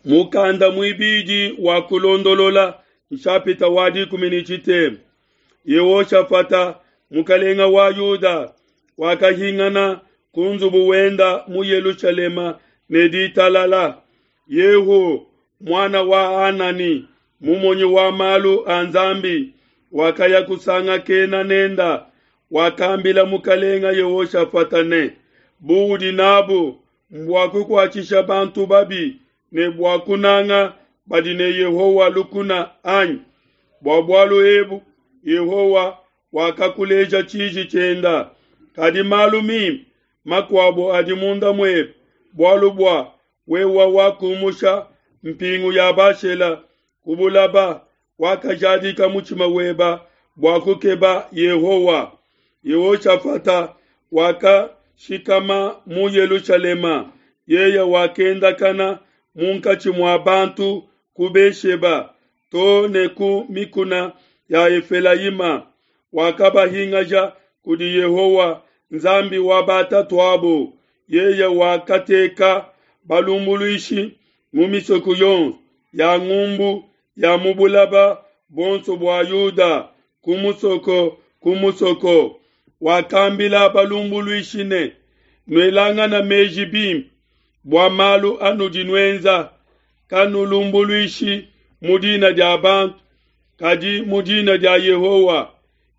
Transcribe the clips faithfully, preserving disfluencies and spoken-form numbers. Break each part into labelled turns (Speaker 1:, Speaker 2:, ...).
Speaker 1: Mukanda muibidi wa kulondolola nshapita wa dikumi ne tshitema. Yehoshafata mukalenga wa Yuda wakahingana ku nzubu wenda mu Yelushalema ne ditalala. Yehu muana wa Hanani mumonyi wa malu a Nzambi wakaya kusangakena nenda wakambila mukalenga Yehoshafata ne buudi nabu mbua kukuatshisha bantu babi ne bua kunanga badi ne Yehowa lukuna anyi? Bua bualu ebu Yehowa wakakuleja tshiji tshienda. Kadi malu mimpe makuabu adi munda muebe, bualu bua wewa wakumusha mpingu ya Bashela ku bulaba, wakajadika mutshima weba bua kukeba Yehowa. Yehoshafata wakashikama mu Yelushalema, yeye wakendakana munkatshi mua bantu ku Besheba to ne ku mikuna ya Efelayima, wakabahingaja kudi Yehowa Nzambi wa batatuabo. Yeye wakateka balumbuluishi mu misoko yonso ya ngumbu ya mu bulaba buonso bua Yuda ku musoko ku musoko. Wakambila balumbuluishi ne, nuelangana meji bimpe bua malu anudi nuenza, kanulumbuluishi mu dina dia bantu, kadi mu dina dia Yehowa,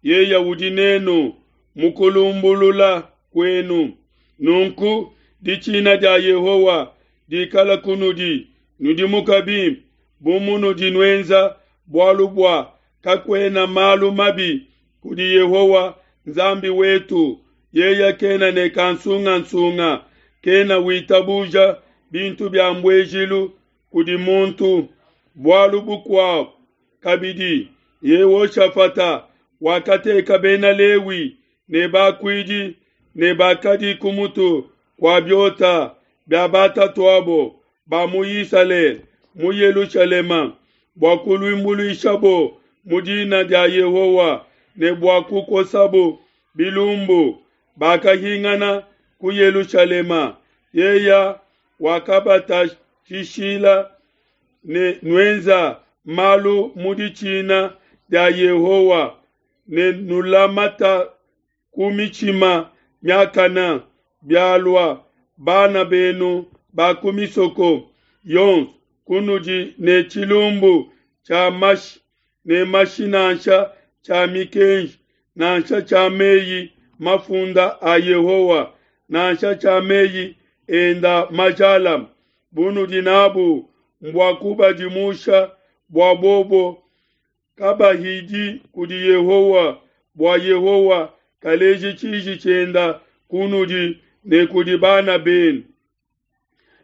Speaker 1: yeye udi nenu mu kulumbulula kuenu. Nunku ditshina dia Yehowa dikala kunudi, nudimuka bimpe bu munudi nuenza, bualu bua kakuena malu mabi kudi Yehowa Nzambi wetu. Yeye kena ne kansungansunga, kena witabuja bintu bia mbuejilu kudi muntu. Bualu bukuabu kabidi, Yehoshafata wakateka bena Lewi ne bakuidi ne bakadi ku mutu kua biota bia batatuabo ba mu Isalele mu Yelushalema bua kulumbuluishabo mu dina dia Yehowa ne bua kukosabo bilumbu. Bakahingana ku Yelushalema. Yeye wakabatshishila ne nuenza malu mu ditshina dia Yehowa ne nulamata ku mitshima miakana. Bialua bana benu ba ku misoko yonso kunudi ne tshilumbu tshia mashi ne mashi nansha tshia mikenji nansha tshia meyi mafunda a Yehowa nansha tshia meyi enda majalame, bunudi nabu mbua kubadimusha bua bobo kabahidi kudi Yehowa, bua Yehowa kaleji tshiji tshienda kunudi ne kudi bana benu.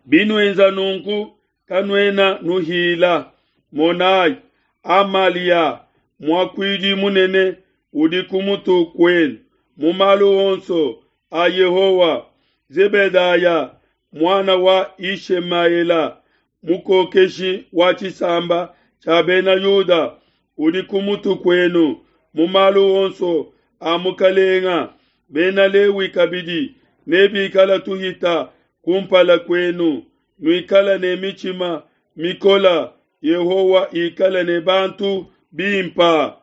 Speaker 1: Binuenza nunku kanuena nuhila. Monai, Amalia muakuidi munene udi ku mutu kuenu mu malu onso a Yehowa. Zebedaya muana wa Ishemaela mukokeshi wa tshisamba tshia bena Yuda udi ku mutu kuenu mu malu onso a mukalenga. Bena Lewi kabidi nebikala tuhita kumpala kuenu. Nuikala ne mitshima mikola, Yehowa ikala ne bantu bimpa.